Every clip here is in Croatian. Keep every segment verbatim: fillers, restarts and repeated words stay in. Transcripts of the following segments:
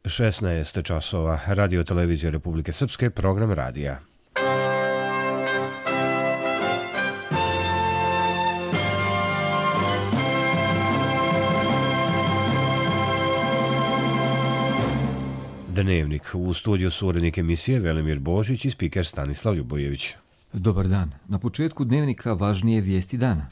šesnaest časova, Radio televizija Republike Srpske, program radija. Dnevnik. U studiju su urednik emisije Velimir Božić i spiker Stanislav Ljubojević. Dobar dan. Na početku dnevnika važnije vijesti dana.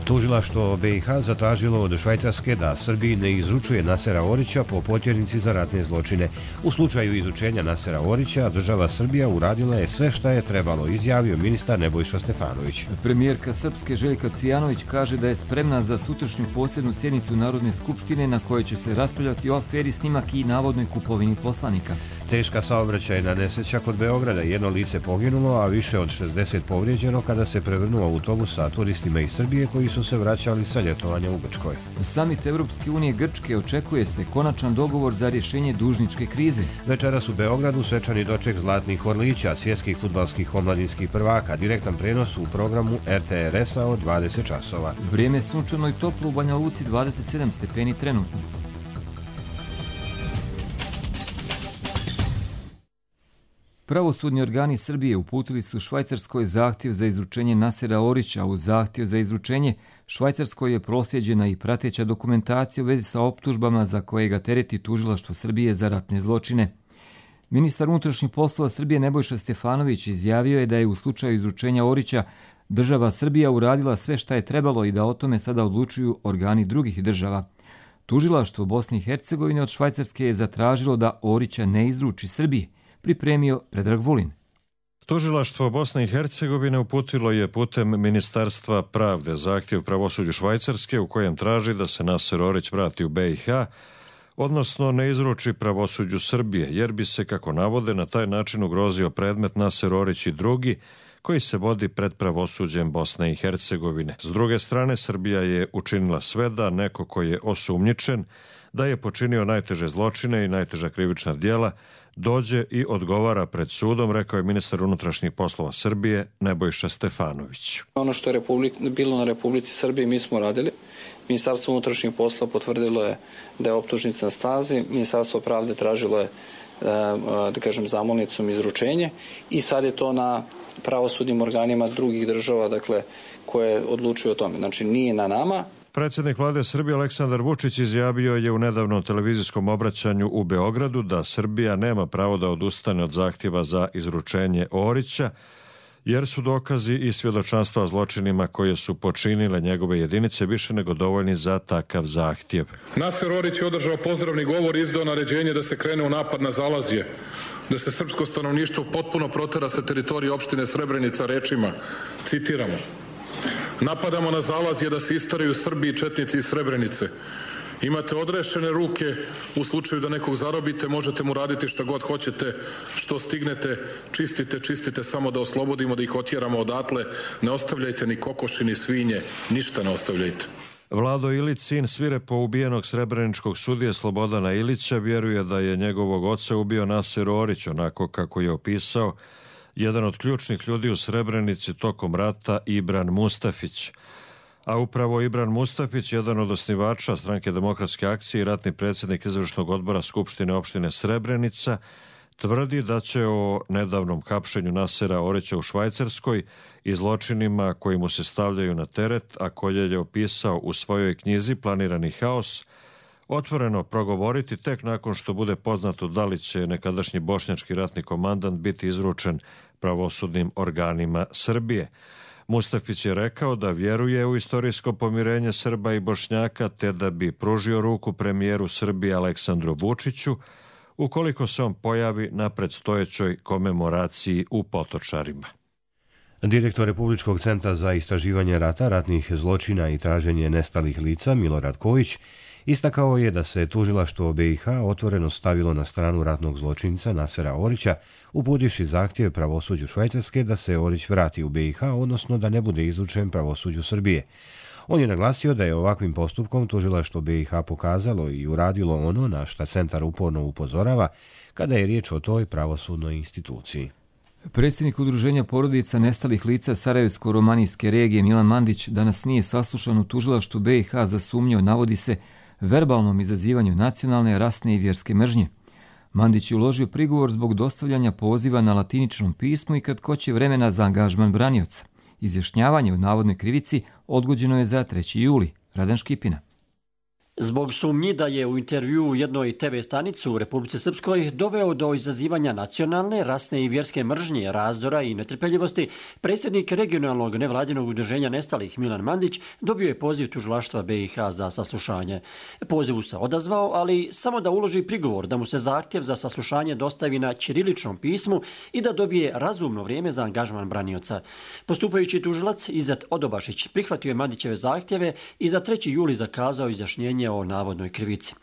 Tužilaštvo B i H zatražilo od Švajcarske da Srbiji ne izručuje Nasera Orića po potjernici za ratne zločine. U slučaju izučenja Nasera Orića, država Srbija uradila je sve šta je trebalo, izjavio ministar Nebojša Stefanović. Premijerka Srpske Željka Cvijanović kaže da je spremna za sutrašnju posebnu sjednicu Narodne skupštine na kojoj će se raspravljati o aferi snimak i navodnoj kupovini poslanika. Teška saobraćajna nesreća kod Beograda, jedno lice poginulo, a više od šezdeset povrijeđeno kada se prevrnuo autobus sa turistima iz Srbije koji su se vraćali sa ljetovanja u Grčkoj. Samit Evropske unije Grčke očekuje se konačan dogovor za rješenje dužničke krize. Večeras u Beogradu svečani doček Zlatnih orlića, svjetskih fudbalskih omladinskih prvaka, direktan prenos u programu R T R S-a od dvadeset časova. Vrijeme sunčano i toplo, u Banja Luci dvadeset sedam stepeni trenutno. Pravosudni organi Srbije uputili su Švajcarskoj zahtjev za izručenje Nasera Orića. U zahtjev za izručenje Švajcarskoj je proslijeđena i prateća dokumentacija u vezi sa optužbama za koje ga tereti tužilaštvo Srbije za ratne zločine. Ministar unutrašnjih poslova Srbije Nebojša Stefanović izjavio je da je u slučaju izručenja Orića država Srbija uradila sve šta je trebalo i da o tome sada odlučuju organi drugih država. Tužilaštvo Bosne i Hercegovine od Švajcarske je zatražilo da Orića ne izruči Srbiji, pripremio Predrag Vulin. Tužilaštvo Bosne i Hercegovine uputilo je putem Ministarstva pravde zahtjev pravosuđu Švajcarske u kojem traži da se Naser Orić vrati u B i H, odnosno ne izruči pravosuđu Srbije, jer bi se, kako navode, na taj način ugrozio predmet Naser Orić i drugi, koji se vodi pred pravosuđem Bosne i Hercegovine. S druge strane, Srbija je učinila sve da neko ko je osumnjičen da je počinio najteže zločine i najteža krivična djela dođe i odgovara pred sudom, rekao je ministar unutrašnjih poslova Srbije Nebojša Stefanović. Ono što je Republik, bilo na Republici Srbiji mi smo radili. Ministarstvo unutrašnjih poslova potvrdilo je da je optužnica na snazi, Ministarstvo pravde tražilo je, da kažem, zamolnicom izručenje i sad je to na pravosudnim organima drugih država, dakle, koje odlučuju o tome. Znači nije na nama. Predsjednik vlade Srbije Aleksandar Vučić izjavio je u nedavnom televizijskom obraćanju u Beogradu da Srbija nema pravo da odustane od zahtjeva za izručenje Orića, jer su dokazi i svjedočanstva o zločinima koje su počinile njegove jedinice više nego dovoljni za takav zahtjev. Naser Orić je održao pozdravni govor i izdao naređenje da se krene u napad na Zalazje, da se srpsko stanovništvo potpuno protera sa teritorije opštine Srebrenica rečima, citiramo: napadamo na Zalazje da se istaraju Srbi i četnici iz Srebrenice. Imate odrešene ruke, u slučaju da nekog zarobite, možete mu raditi šta god hoćete, što stignete, čistite, čistite, samo da oslobodimo, da ih otjeramo odatle, ne ostavljajte ni kokoši, ni svinje, ništa ne ostavljajte. Vlado Ilić, sin svirepo ubijenog srebreničkog sudije Slobodana Ilića, vjeruje da je njegovog oca ubio Naser Orić, onako kako je opisao jedan od ključnih ljudi u Srebrenici tokom rata, Ibran Mustafić. A upravo Ibran Mustafić, jedan od osnivača Stranke demokratske akcije i ratni predsjednik izvršnog odbora Skupštine opštine Srebrenica, tvrdi da će o nedavnom hapšenju Nasera Orića u Švajcarskoj i zločinima koji mu se stavljaju na teret, a koje je opisao u svojoj knjizi Planirani haos, otvoreno progovoriti tek nakon što bude poznato da li će nekadašnji bošnjački ratni komandant biti izručen pravosudnim organima Srbije. Mustafić je rekao da vjeruje u istorijsko pomirenje Srba i Bošnjaka, te da bi pružio ruku premijeru Srbije Aleksandru Vučiću ukoliko se on pojavi na predstojećoj komemoraciji u Potočarima. Direktor Republičkog centra za istraživanje rata, ratnih zločina i traženje nestalih lica Milorad Kojić istakao je da se tužilaštvo B i H otvoreno stavilo na stranu ratnog zločinca Nasera Orića, uputivši zahtjev pravosuđu Švajcarske da se Orić vrati u B i H, odnosno da ne bude izručen pravosuđu Srbije. On je naglasio da je ovakvim postupkom tužilaštvo B i H pokazalo i uradilo ono na šta centar uporno upozorava kada je riječ o toj pravosudnoj instituciji. Predsjednik Udruženja porodica nestalih lica Sarajevsko-romanijske regije Milan Mandić danas nije saslušan u tužilaštvu B i H za sumnju, navodi se, verbalnom izazivanju nacionalne, rasne i vjerske mržnje. Mandić je uložio prigovor zbog dostavljanja poziva na latiničnom pismu i kratkoće vremena za angažman branioca. Izjašnjavanje o navodnoj krivici odgođeno je za treći juli. Radan Škipina. Zbog sumnji da je u intervju u jednoj te ve stanici u Republici Srpskoj doveo do izazivanja nacionalne, rasne i vjerske mržnje, razdora i netrpeljivosti, predsjednik regionalnog nevladinog udruženja nestalih Milan Mandić dobio je poziv tužilaštva B i H za saslušanje. Pozivu se odazvao, ali samo da uloži prigovor da mu se zahtjev za saslušanje dostavi na ćiriličnom pismu i da dobije razumno vrijeme za angažman branioca. Postupajući tužilac Izet Odobašić prihvatio je Mandićeve zahtjeve i za treći juli zakazao izjašnjenje o navodnoj krivici.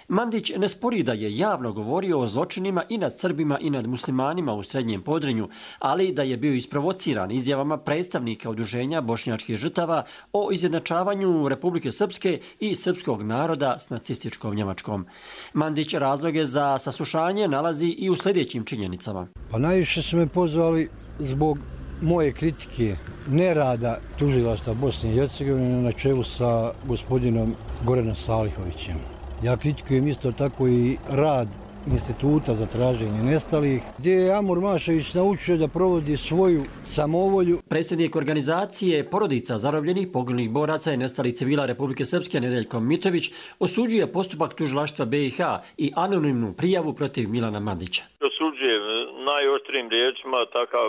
Mandić ne spori da je javno govorio o zločinima i nad Srbima i nad muslimanima u Srednjem Podrinju, ali da je bio isprovociran izjavama predstavnika udruženja bošnjačkih žrtava o izjednačavanju Republike Srpske i srpskog naroda s nacističkom Njemačkom. Mandić razloge za saslušanje nalazi i u sljedećim činjenicama. Pa najviše su me pozvali zbog moje kritike nerada tužilaštva Bosne i Hercegovine na čelu sa gospodinom Goranom Salihovićem. Ja kritikujem isto tako i rad Instituta za traženje nestalih, gdje je Amur Mašević naučio da provodi svoju samovolju. Predsjednik organizacije porodica zarobljenih poginulih boraca i nestalih civila Republike Srpske Nedeljko Mitrović osuđuje postupak tužilaštva B i H i anonimnu prijavu protiv Milana Mandića. Osuđujem najoštrijim riječima takav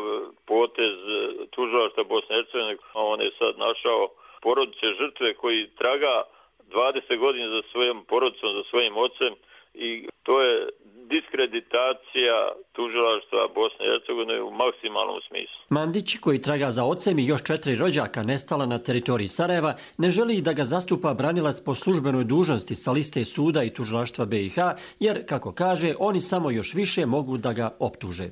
potez tužilaštva Bosne i Hercegovine. On je sad našao porodice žrtve koji traga dvadeset godina za svojom porodicom, za svojim ocem i to je diskreditacija tužilaštva Bosne i Hercegovine u maksimalnom smislu. Mandić, koji traga za ocem i još četiri rođaka nestala na teritoriji Sarajeva, ne želi da ga zastupa branilac po službenoj dužnosti sa liste suda i tužilaštva B i H, jer, kako kaže, oni samo još više mogu da ga optuže.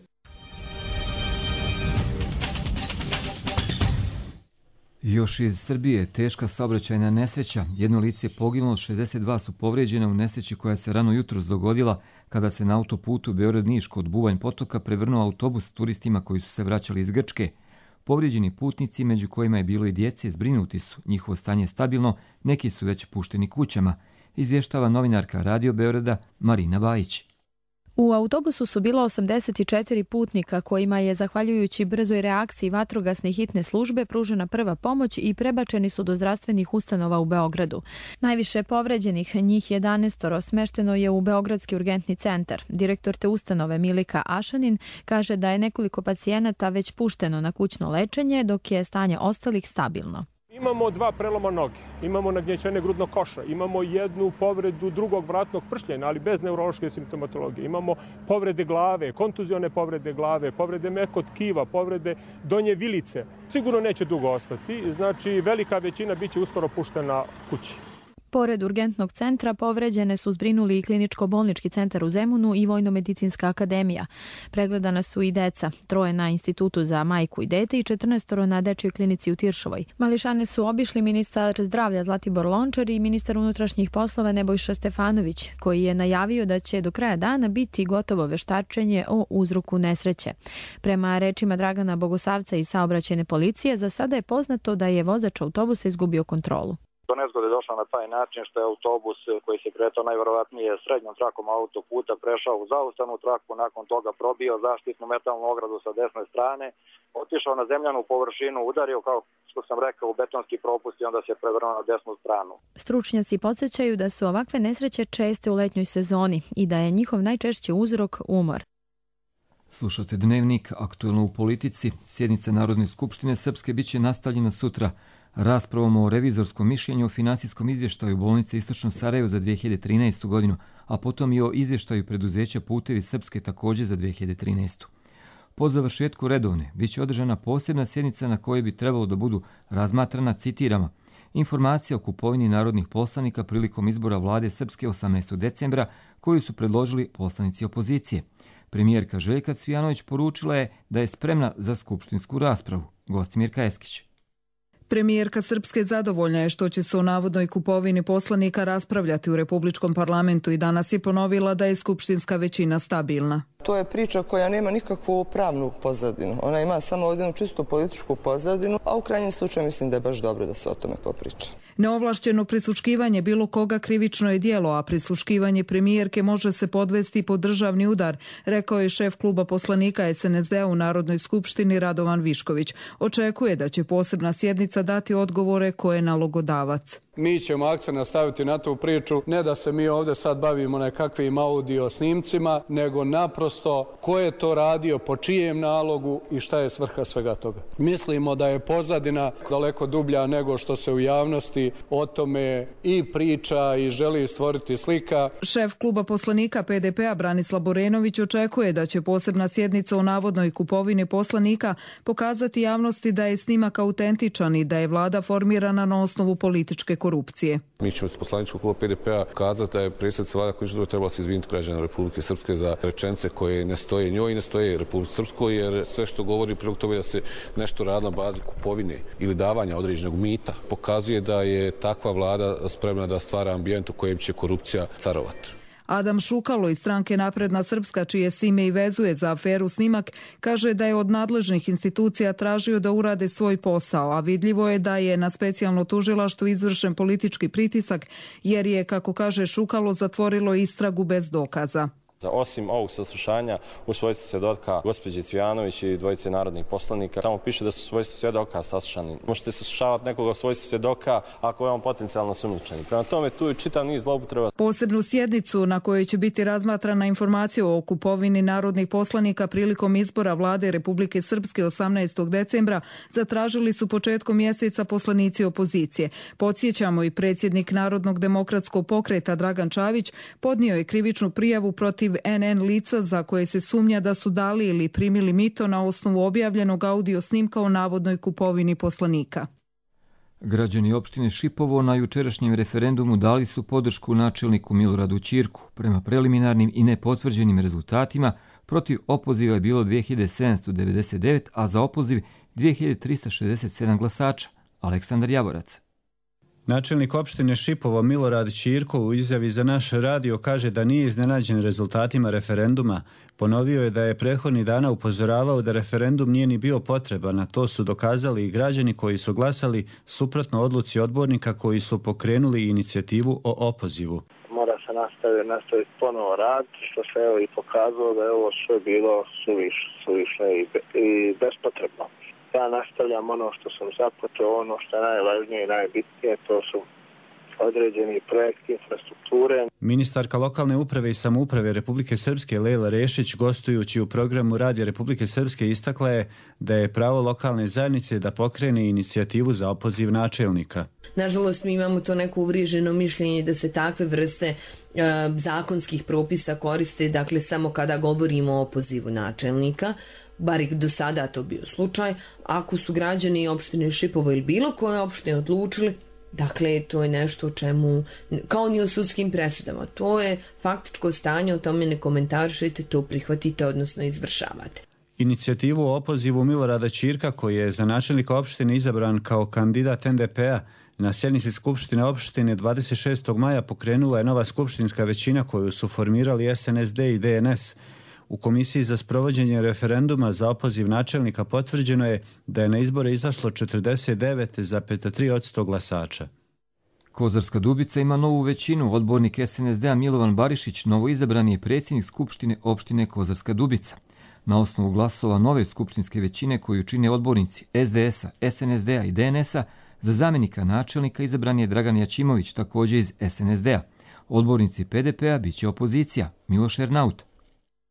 Još iz Srbije teška saobraćajna nesreća. Jedno lice je poginulo, šezdeset dva su povrijeđena u nesreći koja se rano jutros dogodila kada se na autoputu Beograd-Niš kod Buvanj potoka prevrnuo autobus s turistima koji su se vraćali iz Grčke. Povrijeđeni putnici, među kojima je bilo i djece, zbrinuti su. Njihovo stanje je stabilno, neki su već pušteni kućama. Izvještava novinarka Radio Beograda Marina Bajić. U autobusu su bilo osamdeset četiri putnika kojima je, zahvaljujući brzoj reakciji vatrogasne hitne službe, pružena prva pomoć i prebačeni su do zdravstvenih ustanova u Beogradu. Najviše povređenih, njih jedanaest, smešteno je u Beogradski urgentni centar. Direktor te ustanove Milika Ašanin kaže da je nekoliko pacijenata već pušteno na kućno lečenje, dok je stanje ostalih stabilno. Imamo dva preloma noge, imamo nagnjećenje grudnog koša, imamo jednu povredu drugog vratnog pršljena, ali bez neurološke simptomatologije. Imamo povrede glave, kontuzione povrede glave, povrede mekog tkiva, povrede donje vilice. Sigurno neće dugo ostati, znači velika većina bit će uskoro puštena kući. Pored urgentnog centra povređene su zbrinuli i kliničko-bolnički centar u Zemunu i Vojno-medicinska akademija. Pregledana su i deca, troje na Institutu za majku i dete i četrnaest na dečjoj klinici u Tiršovoj. Mališane su obišli ministar zdravlja Zlatibor Lončar i ministar unutrašnjih poslova Nebojša Stefanović, koji je najavio da će do kraja dana biti gotovo veštačenje o uzroku nesreće. Prema rečima Dragana Bogosavca iz saobraćajne policije, za sada je poznato da je vozač autobusa izgubio kontrolu. Do nezgode je došlo na taj način što je autobus koji se kretao najverovatnije srednjom trakom autoputa prešao u zaustavnu traku, nakon toga probio zaštitnu metalnu ogradu sa desne strane, otišao na zemljanu površinu, udario, kao što sam rekao, u betonski propust i onda se prevrnuo na desnu stranu. Stručnjaci podsjećaju da su ovakve nesreće česte u letnjoj sezoni i da je njihov najčešći uzrok umor. Slušate Dnevnik, aktuelno u politici. Sjednica Narodne skupštine Srpske biće nastavljena sutra raspravom o revizorskom mišljenju o finansijskom izvještaju bolnice Istočno Sarajevo za dvije hiljade trinaestu. godinu, a potom i o izvještaju preduzeća Putevi Srpske također za dvije hiljade trinaestu. Po završetku redovne biće održana posebna sjednica na kojoj bi trebalo da budu razmatrana, citiramo, informacija o kupovini narodnih poslanika prilikom izbora vlade Srpske osamnaestog decembra koju su predložili poslanici opozicije. Premijerka Željka Cvijanović poručila je da je spremna za skupštinsku raspravu. Gostimirka Eskić. Premijerka Srpske zadovoljna je što će se o navodnoj kupovini poslanika raspravljati u Republičkom parlamentu i danas je ponovila da je skupštinska većina stabilna. to je priča koja nema nikakvu pravnu pozadinu. Ona ima samo jednu čistu političku pozadinu, a u krajnjem slučaju mislim da je baš dobro da se o tome popriča. Neovlašćeno prisluškivanje bilo koga krivično je djelo, a prisluškivanje premijerke može se podvesti pod državni udar, rekao je šef kluba poslanika es en es de a u Narodnoj skupštini Radovan Višković. Očekuje da će posebna sjednica dati odgovore koje je nalogodavac. Mi ćemo akcent nastaviti na tu priču, ne da se mi ovdje sad bavimo nekakvim audio snimcima, nego naprosto ko je to radio, po čijem nalogu i šta je svrha svega toga. Mislimo da je pozadina daleko dublja nego što se u javnosti o tome i priča i želi stvoriti slika. Šef kluba poslanika pe de pe a Branislav Borenović očekuje da će posebna sjednica o navodnoj kupovini poslanika pokazati javnosti da je snimak autentičan i da je vlada formirana na osnovu političke korupcije. Mi ćemo s poslaničkog kluba pe de pe a kazati da je predsjednica vlada koji trebala se izviniti građana Republike Srpske za rečenice koje ne stoje njoj i ne stoje Republike Srpskoj, jer sve što govori prilog tome da se nešto radi na bazi kupovine ili davanja određenog mita pokazuje da je takva vlada spremna da stvara ambijent u kojem će korupcija carovati. Adam Šukalo iz stranke Napredna Srpska, čije se ime i vezuje za aferu snimak, kaže da je od nadležnih institucija tražio da urade svoj posao, a vidljivo je da je na specijalno tužilaštvo izvršen politički pritisak, jer je, kako kaže Šukalo, zatvorilo istragu bez dokaza. Osim ovog saslušanja u svojstvu svjedoka gospođe Cvijanović i dvojice narodnih poslanika, tamo piše da su svojstvu svjedoka saslušani. Možete saslušavati nekoga u svojstvu svjedoka ako je on potencijalno sumnjičan. Prema tome tu je čitav niz zloupotreba. Posebnu sjednicu na kojoj će biti razmatrana informacija o kupovini narodnih poslanika prilikom izbora vlade Republike Srpske osamnaestog decembra zatražili su početkom mjeseca poslanici opozicije. Podsjećamo, i predsjednik Narodnog demokratskog pokreta Dragan Čavić podnio je krivičnu prijavu protiv en en lica za koje se sumnja da su dali ili primili mito na osnovu objavljenog audio snimka o navodnoj kupovini poslanika. Građani opštine Šipovo na jučerašnjem referendumu dali su podršku načelniku Miloradu Ćirku. Prema preliminarnim i nepotvrđenim rezultatima, protiv opoziva je bilo dve hiljade sedamsto devedeset devet, a za opoziv dve hiljade trista šezdeset sedam glasača. Aleksandar Javorac. Načelnik opštine Šipovo Milorad Ćirko u izjavi za naš radio kaže da nije iznenađen rezultatima referenduma. Ponovio je da je prethodnih dana upozoravao da referendum nije ni bio potreban, a to su dokazali i građani koji su glasali suprotno odluci odbornika koji su pokrenuli inicijativu o opozivu. Mora se nastaviti, nastaviti ponovo rad, što se evo i pokazalo da je ovo sve bilo suviš, suvišno i, i bespotrebno. Ja nastavljam ono što sam započeo, ono što je najvažnije i najbitnije, to su određeni projekti infrastrukture. Ministarka lokalne uprave i samouprave Republike Srpske Lejla Rešić, gostujući u programu Radija Republike Srpske, istakla je da je pravo lokalne zajednice da pokrene inicijativu za opoziv načelnika. Nažalost, mi imamo to neko uvriježeno mišljenje da se takve vrste e, zakonskih propisa koriste, dakle, samo kada govorimo o opozivu načelnika, bar i do sada to bio slučaj. Ako su građani opštine Šipovo ili bilo koje opštine odlučili, dakle, to je nešto o čemu, kao ni o sudskim presudama, to je faktičko stanje, o tome ne komentarišite, to prihvatite, odnosno izvršavate. Inicijativu o opozivu Milorada Ćirka, koji je za načelnika opštine izabran kao kandidat en de pe a, na sjednici Skupštine opštine dvadeset šestog maja pokrenula je nova skupštinska većina koju su formirali es en es de i de en es. U Komisiji za sprovođenje referenduma za opoziv načelnika potvrđeno je da je na izbore izašlo četrdeset devet zarez tri posto glasača. Kozarska Dubica ima novu većinu. Odbornik es en es de a Milovan Barišić novoizabrani je predsjednik Skupštine opštine Kozarska Dubica. Na osnovu glasova nove skupštinske većine koju čine odbornici es de es a, es en es de a i de en es a, za zamjenika načelnika izabran je Dragan Jačimović, također iz es en es de a. Odbornici pe de pe a biće opozicija, Miloš Ernaut.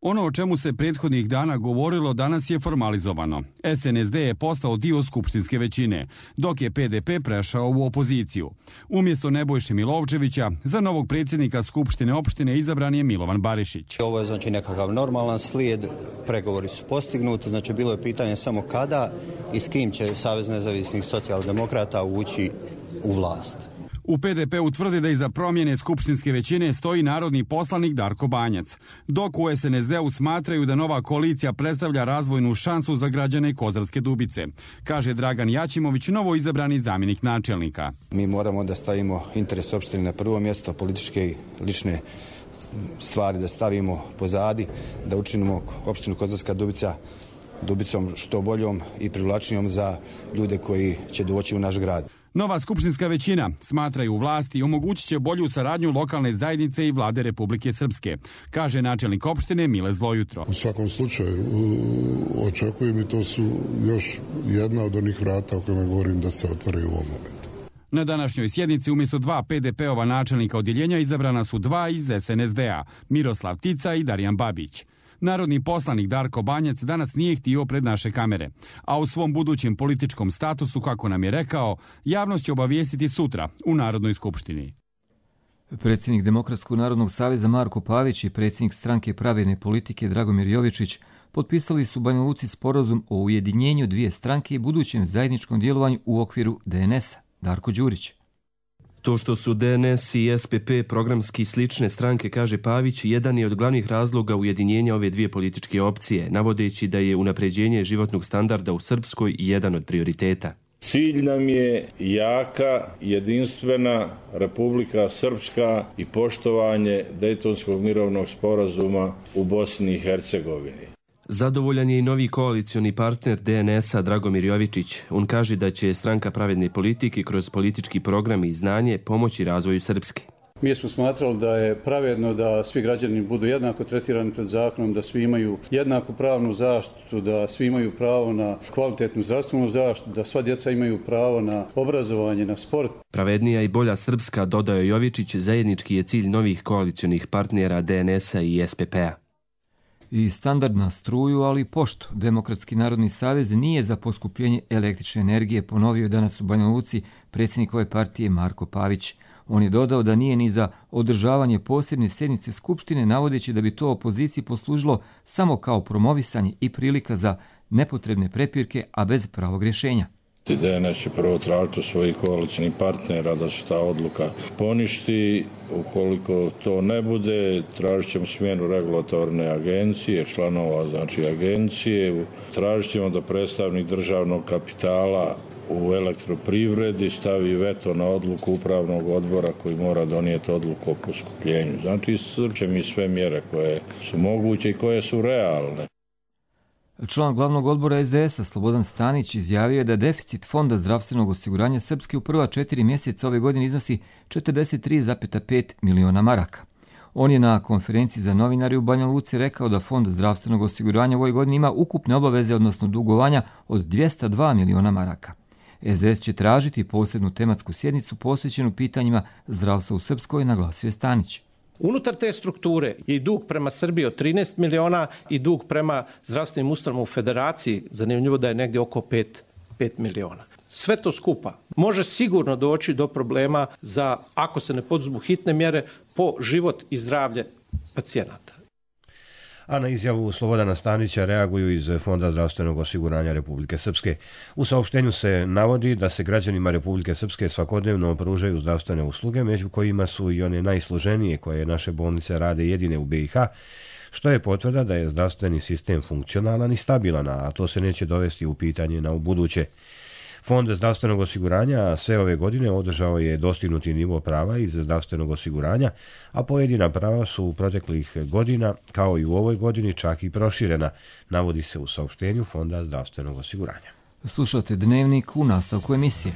Ono o čemu se prethodnih dana govorilo danas je formalizovano. es en es de je postao dio skupštinske većine, dok je pe de pe prešao u opoziciju. Umjesto Nebojše Milovčevića, za novog predsjednika Skupštine opštine izabran je Milovan Barišić. Ovo je znači nekakav normalan slijed, pregovori su postignuti, znači bilo je pitanje samo kada i s kim će Savez nezavisnih socijaldemokrata ući u vlast. U pe de pe utvrdi da iza promjene skupštinske većine stoji narodni poslanik Darko Banjac, dok u es en es de-u smatraju da nova koalicija predstavlja razvojnu šansu za građane Kozarske Dubice, kaže Dragan Jačimović, novo izabrani zamjenik načelnika. Mi moramo da stavimo interes opštine na prvo mjesto, političke i lične stvari da stavimo pozadi, da učinimo opštinu Kozarska Dubica Dubicom što boljom i privlačnijom za ljude koji će doći u naš grad. Nova skupštinska većina, smatraju vlasti, omogućit će bolju saradnju lokalne zajednice i vlade Republike Srpske, kaže načelnik opštine Mile Zlojutro. U svakom slučaju očekujem i to su još jedna od onih vrata o kojima govorim da se otvaraju u ovom momentu. Na današnjoj sjednici umjesto dva P D P-ova načelnika odjeljenja izabrana su dva iz S N S D-a, Miroslav Tica i Darijan Babić. Narodni poslanik Darko Banjac danas nije htio pred naše kamere, a u svom budućem političkom statusu, kako nam je rekao, javnost će obavijestiti sutra u Narodnoj skupštini. Predsjednik Demokratskog narodnog saveza Marko Pavić i predsjednik stranke Pravedne politike Dragomir Jovičić potpisali su u Banja Luci sporazum o ujedinjenju dvije stranke i budućem zajedničkom djelovanju u okviru D N S-a. Darko Đurić. To što su D N S i S P P programski slične stranke, kaže Pavić, jedan je od glavnih razloga ujedinjenja ove dvije političke opcije, navodeći da je unapređenje životnog standarda u Srpskoj jedan od prioriteta. Cilj nam je jaka, jedinstvena Republika Srpska i poštovanje Dejtonskog mirovnog sporazuma u Bosni i Hercegovini. Zadovoljan je i novi koalicioni partner D N S-a Dragomir Jovičić. On kaže da će stranka Pravedne politike kroz politički program i znanje pomoći razvoju Srpske. Mi smo smatrali da je pravedno da svi građani budu jednako tretirani pred zakonom, da svi imaju jednaku pravnu zaštitu, da svi imaju pravo na kvalitetnu zdravstvenu zaštitu, da sva djeca imaju pravo na obrazovanje, na sport. Pravednija i bolja Srpska, dodao je Jovičić, zajednički je cilj novih koalicionih partnera D N S-a i S P P-a. I standard na struju, ali i poštu. Demokratski narodni savez nije za poskupljenje električne energije, ponovio je danas u Banja Luci predsjednik ove partije Marko Pavić. On je dodao da nije ni za održavanje posebne sjednice Skupštine, navodeći da bi to opoziciji poslužilo samo kao promovisanje i prilika za nepotrebne prepirke, a bez pravog rješenja. D N S će prvo tražiti svojih koalicijnih partnera da se ta odluka poništi. Ukoliko to ne bude, tražit ćemo smjenu regulatorne agencije, članova znači agencije. Tražit ćemo da predstavnik državnog kapitala u elektroprivredi stavi veto na odluku upravnog odbora koji mora donijeti odluku o poskupljenju. Znači, iscrpće mi sve mjere koje su moguće i koje su realne. Član glavnog odbora S D S-a Slobodan Stanić izjavio je da deficit Fonda zdravstvenog osiguranja Srpske u prva četiri mjeseca ove godine iznosi četrdeset tri zarez pet miliona maraka. On je na konferenciji za novinari u Banja Luci rekao da Fond zdravstvenog osiguranja u ovoj godini ima ukupne obaveze, odnosno dugovanja od dvjesto dva miliona maraka. S D S će tražiti posebnu tematsku sjednicu posvećenu pitanjima zdravstva u Srpskoj, naglasio je Stanić. Unutar te strukture je i dug prema Srbiji od trinaest miliona i dug prema zdravstvenim ustanovama u Federaciji, zanimljivo da je negdje oko pet miliona. Sve to skupa može sigurno doći do problema za, ako se ne poduzmu hitne mjere, po život i zdravlje pacijenata. A na izjavu Slobodana Stanića reaguju iz Fonda zdravstvenog osiguranja Republike Srpske. U saopštenju se navodi da se građanima Republike Srpske svakodnevno pružaju zdravstvene usluge, među kojima su i one najsloženije koje naše bolnice rade jedine u B i H, što je potvrda da je zdravstveni sistem funkcionalan i stabilan, a to se neće dovesti u pitanje na ubuduće. Fond zdravstvenog osiguranja sve ove godine održao je dostignuti nivo prava iz zdravstvenog osiguranja, a pojedina prava su u proteklih godina, kao i u ovoj godini, čak i proširena, navodi se u saopštenju Fonda zdravstvenog osiguranja. Slušate Dnevnik u nastavku emisije.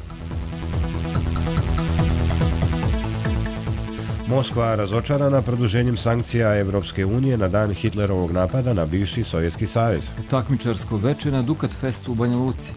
Moskva razočarana produženjem sankcija Evropske unije na dan Hitlerovog napada na bivši Sovjetski savez. Takmičarsko veče na Dukat Festu u Banja Luci.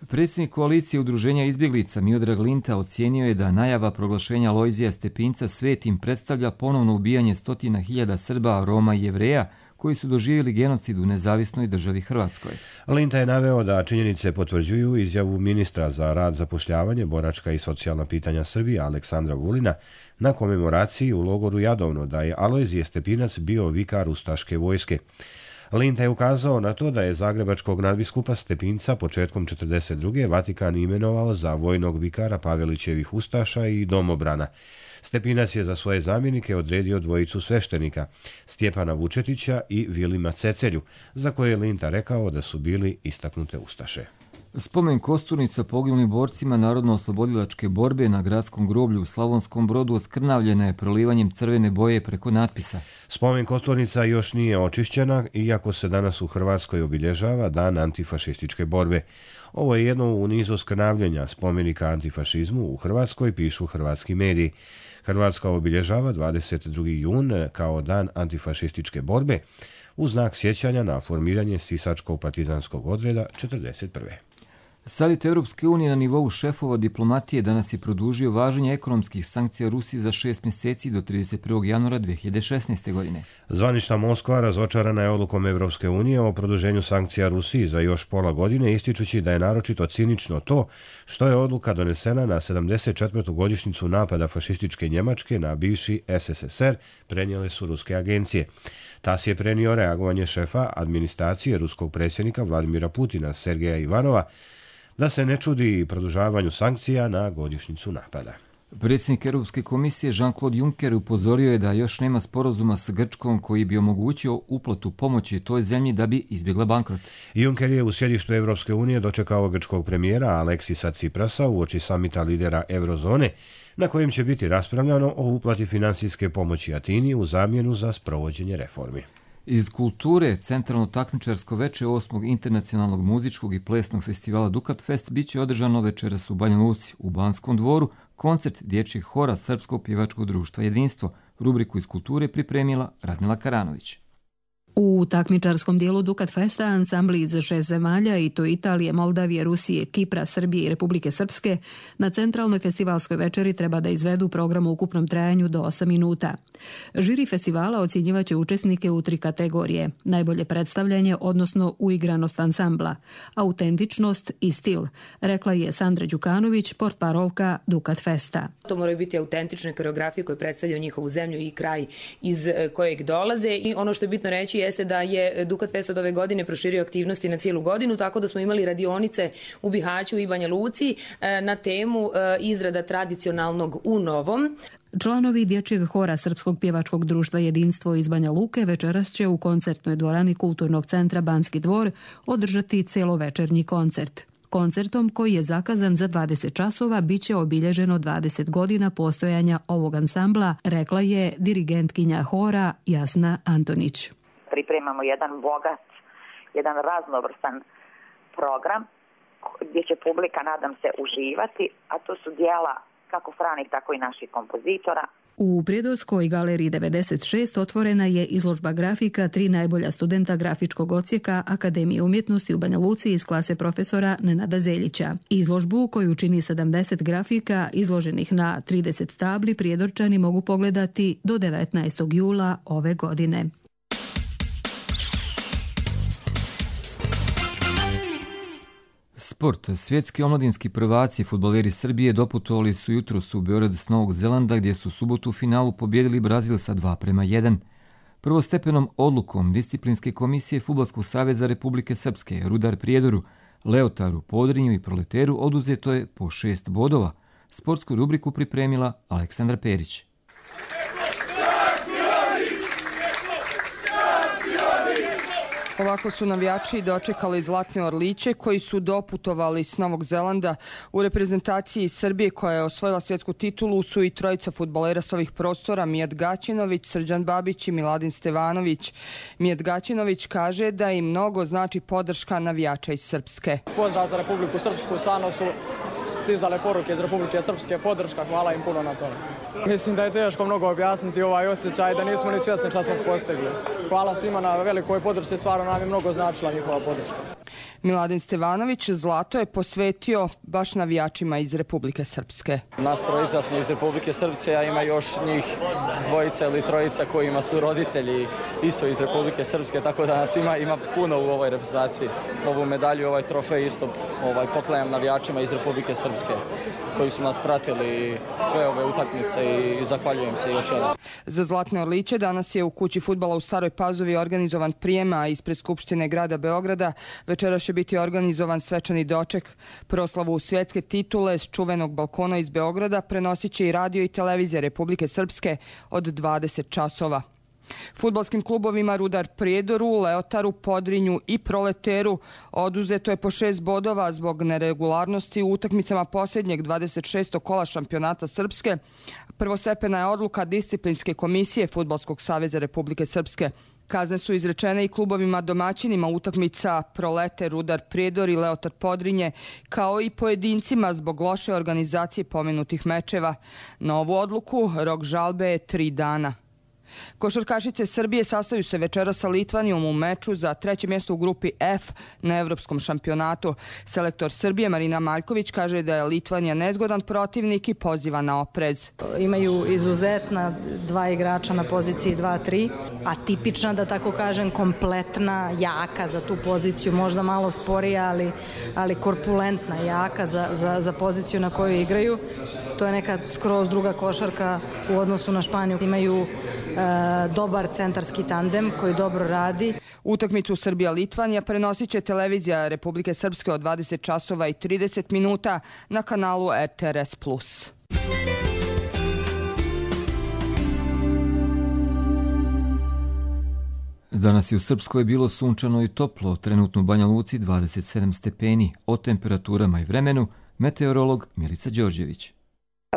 Predsjednik koalicije udruženja izbjeglica Miodrag Linta ocijenio je da najava proglašenja Lojzija Stepinca svetim predstavlja ponovno ubijanje stotina hiljada Srba, Roma i Jevreja koji su doživjeli genocid u nezavisnoj državi Hrvatskoj. Linta je naveo da činjenice potvrđuju izjavu ministra za rad, zapošljavanje, boračka i socijalna pitanja Srbije Aleksandra Vulina na komemoraciji u logoru Jadovno da je Alojzije Stepinac bio vikar ustaške vojske. Linta je ukazao na to da je zagrebačkog nadbiskupa Stepinca početkom četrdeset druge Vatikan imenovao za vojnog vikara Pavelićevih ustaša i domobrana. Stepinac je za svoje zamjenike odredio dvojicu sveštenika, Stjepana Vučetića i Vilima Cecelju, za koje je Linta rekao da su bili istaknute ustaše. Spomen kosturnica poginulim borcima Narodno-oslobodilačke borbe na gradskom groblju u Slavonskom Brodu oskrnavljena je prolivanjem crvene boje preko natpisa. Spomen kosturnica još nije očišćena, iako se danas u Hrvatskoj obilježava Dan antifašističke borbe. Ovo je jedno u nizu oskrnavljenja spomenika antifašizmu u Hrvatskoj, pišu hrvatski mediji. Hrvatska obilježava dvadeset drugi jun kao Dan antifašističke borbe u znak sjećanja na formiranje Sisačkog partizanskog odreda četrdeset prve. Savjet Europske unije na nivou šefova diplomatije danas je produžio važenje ekonomskih sankcija Rusiji za šest mjeseci do trideset prvog januara dve hiljade šesnaeste. godine. Zvanična Moskva razočarana je odlukom Europske unije o produženju sankcija Rusiji za još pola godine, ističući da je naročito cinično to što je odluka donesena na sedamdeset četvrtu godišnjicu napada fašističke Njemačke na bivši S S S R, prenijele su ruske agencije. Tas je prenio reagovanje šefa administracije ruskog predsjednika Vladimira Putina, Sergeja Ivanova, da se ne čudi produžavanju sankcija na godišnjicu napada. Predsjednik Europske komisije Jean-Claude Juncker upozorio je da još nema sporazuma s Grčkom koji bi omogućio uplatu pomoći toj zemlji da bi izbjegla bankrot. Juncker je u sjedištu Europske unije dočekao grčkog premijera Aleksisa Tsiprasa uoči samita lidera Eurozone, na kojem će biti raspravljano o uplati financijske pomoći Atini u zamjenu za sprovođenje reformi. Iz kulture, centralno takmičarsko veče osmog internacionalnog muzičkog i plesnog festivala Dukat Fest bit će održano večeras u Banja Luci, u Banskom dvoru, koncert dječjeg hora Srpskog pjevačkog društva Jedinstvo. Rubriku iz kulture pripremila Radmila Karanović. U takmičarskom dijelu Dukat Festa ansambli iz šest zemalja, i to Italije, Moldavije, Rusije, Kipra, Srbije i Republike Srpske, na centralnoj festivalskoj večeri treba da izvedu program u ukupnom trajanju do osam minuta. Žiri festivala ocjenjivaće učesnike u tri kategorije: najbolje predstavljanje, odnosno uigranost ansambla, autentičnost i stil, rekla je Sandra Đukanović, portparolka Dukat Festa. To moraju biti autentične koreografije koje predstavljaju njihovu zemlju i kraj iz kojeg dolaze, i ono što je bitno reći jeste da je Dukat Fest od ove godine proširio aktivnosti na cijelu godinu, tako da smo imali radionice u Bihaću i Banja Luci na temu izrada tradicionalnog u novom. Članovi dječjeg hora Srpskog pjevačkog društva Jedinstvo iz Banja Luke večeras će u koncertnoj dvorani Kulturnog centra Banski dvor održati celovečernji koncert. Koncertom, koji je zakazan za dvadeset časova, bit će obilježeno dvadeset godina postojanja ovog ansambla, rekla je dirigentkinja hora Jasna Antonić. Pripremamo jedan bogat, jedan raznovrstan program gdje će publika, nadam se, uživati, a to su dijela kako stranih, tako i naših kompozitora. U Prijedorskoj galeriji devedeset šest otvorena je izložba grafika tri najbolja studenta grafičkog odsjeka Akademije umjetnosti u Banja Luci iz klase profesora Nenada Zeljića. Izložbu, koju čini sedamdeset grafika izloženih na trideset tabli, Prijedorčani mogu pogledati do devetnaestog jula ove godine. Sport. Svjetski omladinski prvaci fudbaleri Srbije doputovali su jutros u Beograd s Novog Zelanda, gdje su u subotu u finalu pobjedili Brazil sa dva prema jedan. Prvostepenom odlukom Disciplinske komisije Fudbalskog saveza Republike Srpske, Rudar Prijedoru, Leotaru, Podrinju i Proleteru oduzeto je po šest bodova. Sportsku rubriku pripremila Aleksandra Perić. Ovako su navijači dočekali Zlatne Orliće koji su doputovali s Novog Zelanda. U reprezentaciji Srbije, koja je osvojila svjetsku titulu, su i trojica fudbalera s ovih prostora: Mijat Gaćinović, Srđan Babić i Miladin Stevanović. Mijat Gaćinović kaže da im mnogo znači podrška navijača iz Srpske. Pozdrav za Republiku Srpsku, stvarno su stizale poruke iz Republike Srpske, podrška, hvala im puno na tome. Mislim da je teško mnogo objasniti ovaj osjećaj, da nismo ni svjesni šta smo postigli. Hvala svima na velikoj podršci, stvarno nam je mnogo značila njihova podrška. Miladin Stevanović zlato je posvetio baš navijačima iz Republike Srpske. Nas trojica smo iz Republike Srpske, a ima još njih dvojica ili trojica kojima su roditelji isto iz Republike Srpske, tako da nas ima, ima puno u ovoj reprezentaciji. Ovu medalju, ovaj trofej isto ovaj, poklanjam navijačima iz Republike Srpske koji su nas pratili sve ove utakmice i zahvaljujem se još jedan. Za Zlatne Orliće danas je u kući fudbala u Staroj Pazovi organizovan prijem, a ispred Skupštine grada Beograda večeras će biti organizovan svečani doček. Proslavu svjetske titule s čuvenog balkona iz Beograda prenosit će i radio i televizija Republike Srpske od dvadeset časova. Fudbalskim klubovima Rudar Prijedoru, Leotaru, Podrinju i Proleteru oduzeto je po šest bodova zbog neregularnosti u utakmicama posljednjeg dvadeset šestog kola šampionata Srpske. Prvostepena je odluka disciplinske komisije Fudbalskog saveza Republike Srpske. Kazne su izrečene i klubovima domaćinima utakmica Proleter, Rudar Prijedor i Leotar Podrinje, kao i pojedincima zbog loše organizacije pomenutih mečeva. Na ovu odluku rok žalbe je tri dana. Košarkašice Srbije sastaju se večeras sa Litvanijom u meču za treće mjesto u grupi F na evropskom šampionatu. Selektor Srbije Marina Maljković kaže da je Litvanija nezgodan protivnik i poziva na oprez. Imaju izuzetna dva igrača na poziciji dva tri, a tipična, da tako kažem, kompletna, jaka za tu poziciju, možda malo sporija, ali, ali korpulentna, jaka za, za, za poziciju na koju igraju. To je neka skroz druga košarka u odnosu na Španiju. Imaju dobar centarski tandem koji dobro radi. Utakmicu Srbija-Litvanija prenosit će televizija Republike Srpske od dvadeset časova i trideset minuta na kanalu R T R S plus. Danas je u Srpskoj bilo sunčano i toplo, trenutno u Banja Luci dvadeset sedam stepeni. O temperaturama i vremenu meteorolog Milica Đorđević.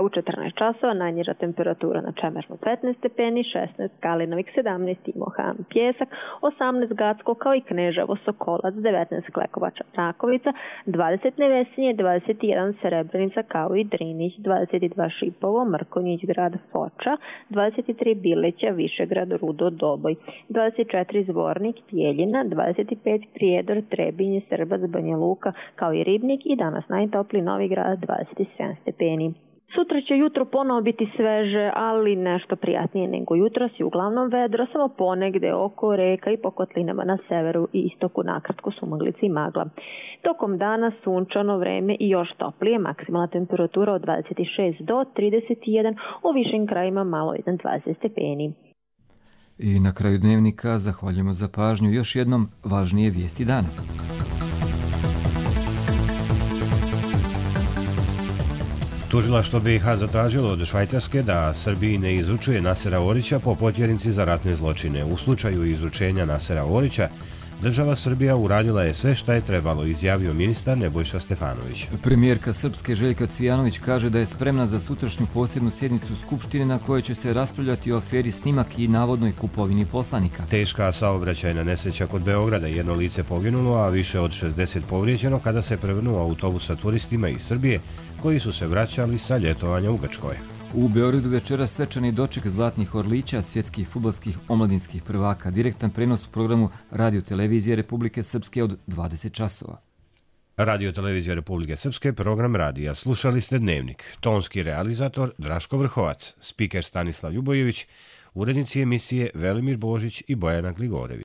U četrnaest časova najniža temperatura na Čemernu petnaest stepeni, šesnaest Kalinovik, sedamnaest Imohan, Pjesak, osamnaest Gacko kao i Kneževo, Sokolac, devetnaest Klekovača, Rakovica, dvadeset Nevesinje, dvadeset jedan Srebrenica kao i Drinić, dvadeset dva Šipovo, Mrkonjić grad, Foča, dvadeset tri Bileća, Višegrad, Rudo, Doboj, dvadeset četiri Zvornik, Tjeljina, dvadeset pet Prijedor, Trebinje, Srbac, Banja Luka kao i Ribnik i danas najtopliji Novi Grad, dvadeset sedam stepeni. Sutra će jutro ponovo biti sveže, ali nešto prijatnije nego jutros i uglavnom vedro, samo ponegde oko reka i po kotlinama na severu i istoku nakratko sumaglice i magla. Tokom dana sunčano vreme i još toplije, maksimalna temperatura od dvadeset šest do trideset jedan, u višim krajima malo iznad dvadeset stepeni. I na kraju dnevnika zahvaljujemo za pažnju još jednom važnije vijesti dana. Tužilaštvo B i H zatražilo od Švajcarske da Srbiji ne izučuje Nasera Orića po potjernici za ratne zločine. U slučaju izučenja Nasera Orića, država Srbija uradila je sve šta je trebalo, izjavio ministar Nebojša Stefanović. Premijerka Srpske Željka Cvijanović kaže da je spremna za sutrašnju posebnu sjednicu Skupštine na kojoj će se raspravljati o aferi Snimak i navodnoj kupovini poslanika. Teška saobraćajna nesreća kod Beograda, jedno lice poginulo, a više od šezdeset povrijeđeno kada se prevrnuo autobus sa turistima iz Srbije koji su se vraćali sa ljetovanja u Grčkoj. U Beogradu večera svečani doček Zlatnih Orlića, svjetskih fudbalskih omladinskih prvaka, direktan prenos u programu Radio Televizije Republike Srpske od dvadeset časova. Radio Televizija Republike Srpske, program radija. Slušali ste Dnevnik. Tonski realizator Draško Vrhovac, spiker Stanislav Ljubojević, urednici emisije Velimir Božić i Bojana Gligorević.